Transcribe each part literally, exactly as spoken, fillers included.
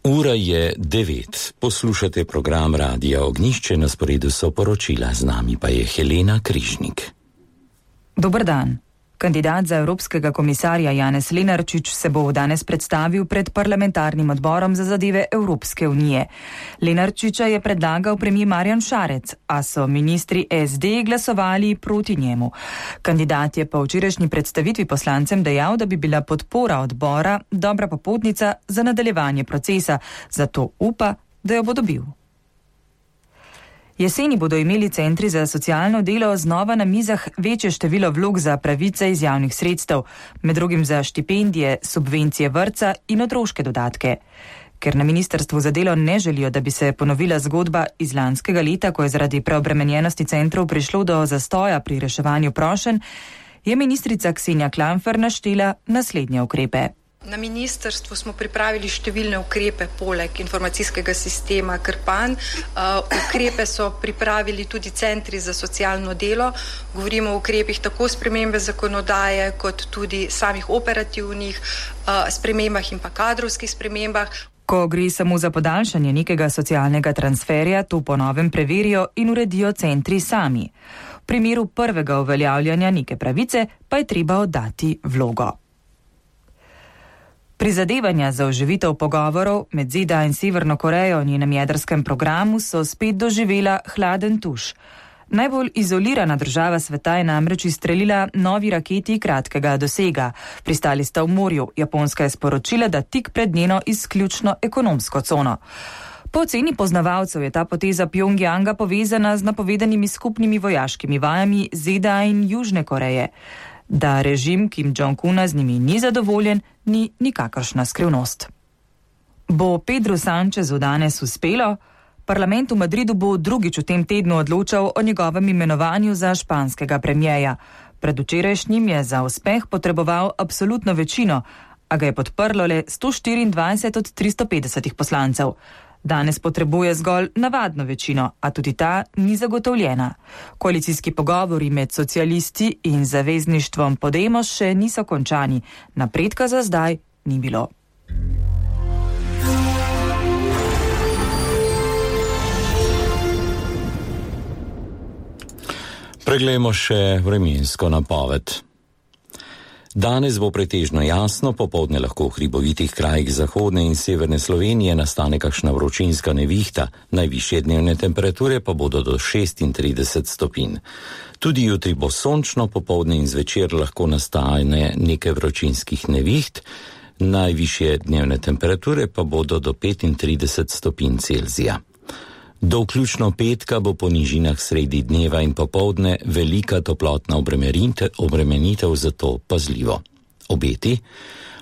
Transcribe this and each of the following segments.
Ura je devet. Poslušate program Radia Ognjišče, na sporedu so poročila, z nami pa je Helena Križnik. Dober dan. Kandidat za evropskega komisarja Janez Lenarčič se bo danes predstavil pred parlamentarnim odborom za zadeve Evropske unije. Lenarčiča je predlagal premijer Marjan Šarec, a so ministri es de glasovali proti njemu. Kandidat je po včerajšnji predstavitvi poslancem dejal, da bi bila podpora odbora dobra popotnica za nadaljevanje procesa, zato upa, da jo bo dobil. Jeseni bodo imeli centri za socialno delo znova na mizah večje število vlog za pravice iz javnih sredstev, med drugim za štipendije, subvencije vrtca in otroške dodatke. Ker na ministrstvu za delo ne želijo, da bi se ponovila zgodba iz lanskega leta, ko je zaradi preobremenjenosti centrov prišlo do zastoja pri reševanju prošenj, je ministrica Ksenija Klampfer naštela naslednje ukrepe. Na ministrstvu smo pripravili številne ukrepe poleg informacijskega sistema Krpan. Uh, ukrepe so pripravili tudi centri za socialno delo. Govorimo o ukrepih tako spremembe zakonodaje, kot tudi samih operativnih uh, spremembah in pa kadrovskih spremembah. Ko gre samo za podaljšanje nekega socialnega transferja, to po novem preverijo in uredijo centri sami. V primeru prvega uveljavljanja neke pravice pa je treba oddati vlogo. Prizadevanja za oživitev pogovorov med Z D A in Severno Korejo v njenem jedrskem programu so spet doživela hladen tuš. Najbolj izolirana država sveta je namreč izstrelila novi raketi kratkega dosega. Pristali sta v morju. Japonska je sporočila, da tik pred njeno izključno ekonomsko cono. Po oceni poznavalcev je ta poteza Pjongjanga povezana z napovedanimi skupnimi vojaškimi vajami Z D A in Južne Koreje. Da režim Kim Jong-una z njimi ni zadovoljen, ni nikakršna skrivnost. Bo Pedro Sanchezu danes uspelo? Parlament v Madridu bo drugič v tem tednu odločal o njegovem imenovanju za španskega premijeja. Pred včerajšnjim je za uspeh potreboval absolutno večino, a ga je podprlo le sto štiriindvajset od tristo petdesetih poslancev. Danes potrebuje zgolj navadno večino, a tudi ta ni zagotovljena. Koalicijski pogovori med socialisti in zavezništvom Podemos še niso končani. Napredka za zdaj ni bilo. Preglejmo še vremensko napoved. Danes bo pretežno jasno, popoldne lahko v hribovitih krajih zahodne in severne Slovenije nastane kakšna vročinska nevihta, najvišje dnevne temperature pa bodo do šestintrideset stopinj. Tudi jutri bo sončno, popoldne in zvečer lahko nastane nekaj vročinskih neviht, najvišje dnevne temperature pa bodo do petintrideset stopinj Celzija. Do vključno petka bo po nižinah sredi dneva in popoldne velika toplotna obremenitev, zato pazljivo. Obeti.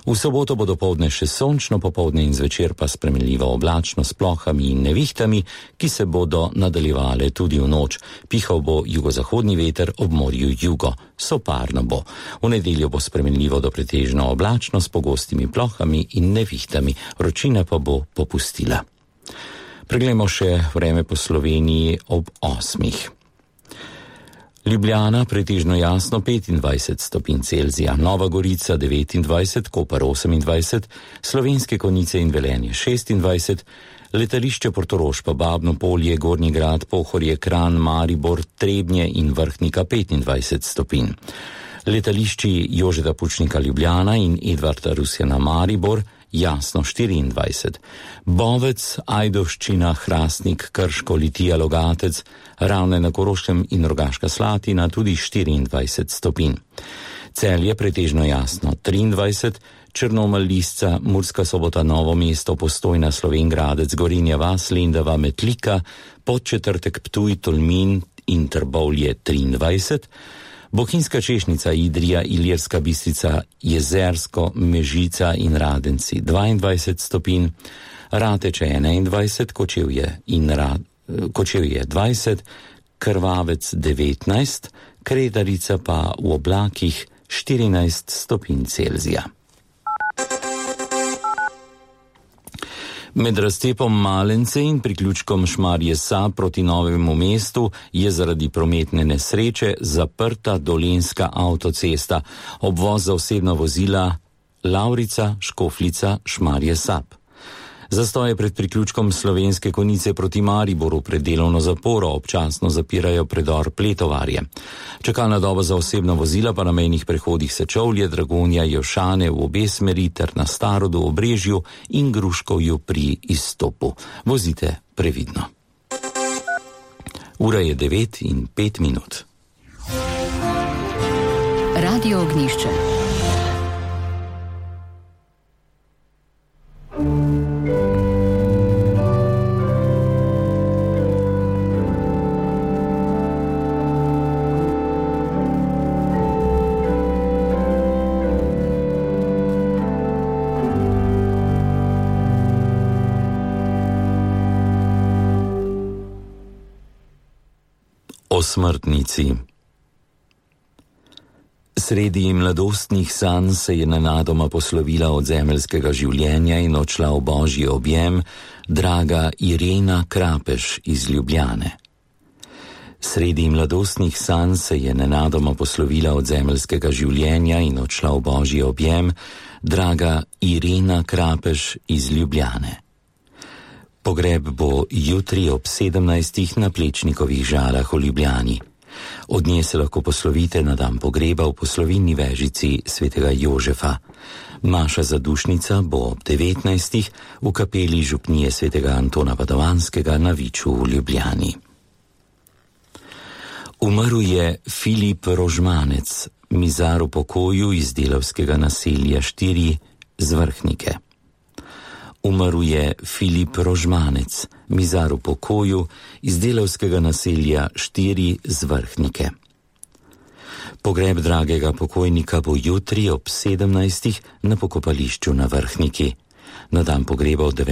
V soboto bo dopoldne še sončno, popoldne in zvečer pa spremenljivo oblačno s plohami in nevihtami, ki se bodo nadaljevale tudi v noč. Pihal bo jugozahodni veter, ob morju jugo. Soparno bo. V nedeljo bo spremenljivo do pretežno oblačno s pogostimi plohami in nevihtami. Vročina pa bo popustila. Preglejmo še vreme po Sloveniji ob osmih. Ljubljana pretežno jasno petindvajset stopinj Celzija, Nova Gorica devetindvajset, Koper osemindvajset, Slovenske Konjice in Velenje šestindvajset, letališče Portorož pa Babno Polje, Gornji Grad, Pohorje, Kranj, Maribor, Trebnje in Vrhnika petindvajset stopinj. Letališči Jožeta Pučnika Ljubljana in Edvarda Rusjana Maribor jasno štiriindvajset, Bovec, Ajdovščina, Hrastnik, Krško, Litija, Logatec, Ravne na Koroškem in Rogaška Slatina tudi štiriindvajset stopinj. Celje pretežno jasno triindvajset, Črnomelj, Lisca, Murska Sobota, Novo mesto, Postojna, Slovenj Gradec, Gorenja vas, Lendava, Metlika, Podčetrtek, Ptuj, Tolmin in Trbovlje triindvajset, Bohinjska Češnica, Idrija, Ilirska Bistrica, Jezersko, Mežica in Radenci dvaindvajset stopinj, Rateče enaindvajset, Kočevje in Rad, Kočevje dvajset, Krvavec devetnajst, Kredarica pa v oblakih štirinajst stopinj Celzija. Med razcepom Malence in priključkom Šmarje Sab proti Novemu mestu je zaradi prometne nesreče zaprta dolenjska avtocesta, obvoz za osebna vozila Lavrica, Škofljica, Šmarje Sab. Zastoje pred priključkom Slovenske Konjice proti Mariboru pred delovno zaporo občasno zapirajo predor Pletovarje. Čakalna doba za osebna vozila pa na mejnih prehodih Sečovlje, Dragonja, Jošane v obe smeri ter na Starodu, Obrežju in Gruškovju pri izstopu. Vozite previdno. Ura je devet in pet minut. Radio Ognjišče. O smrtnici. Sredi mladostnih sanj se je nenadoma poslovila od zemeljskega življenja in odšla v božji objem draga Irena Krapeš iz Ljubljane. Sredi mladostnih sanj se je nenadoma poslovila od zemeljskega življenja in odšla v božji objem draga Irena Krapeš iz Ljubljane. Pogreb bo jutri ob sedemnajstih na Plečnikovih Žalah v Ljubljani. Od nje se lahko poslovite na dan pogreba v poslovilni vežici svetega Jožefa. Maša zadušnica bo ob devetnajstih v kapeli župnije svetega Antona Padovanskega na Viču v Ljubljani. Umrl je Filip Rožmanec, mizar v pokoju iz delavskega naselja štiri z Vrhnike. Umrl je Filip Rožmanec, mizar v pokoju iz delavskega naselja štiri z Vrhnike. Pogreb dragega pokojnika bo jutri ob sedemnajstih na pokopališču na Vrhniki. Na dan pogreba od devetih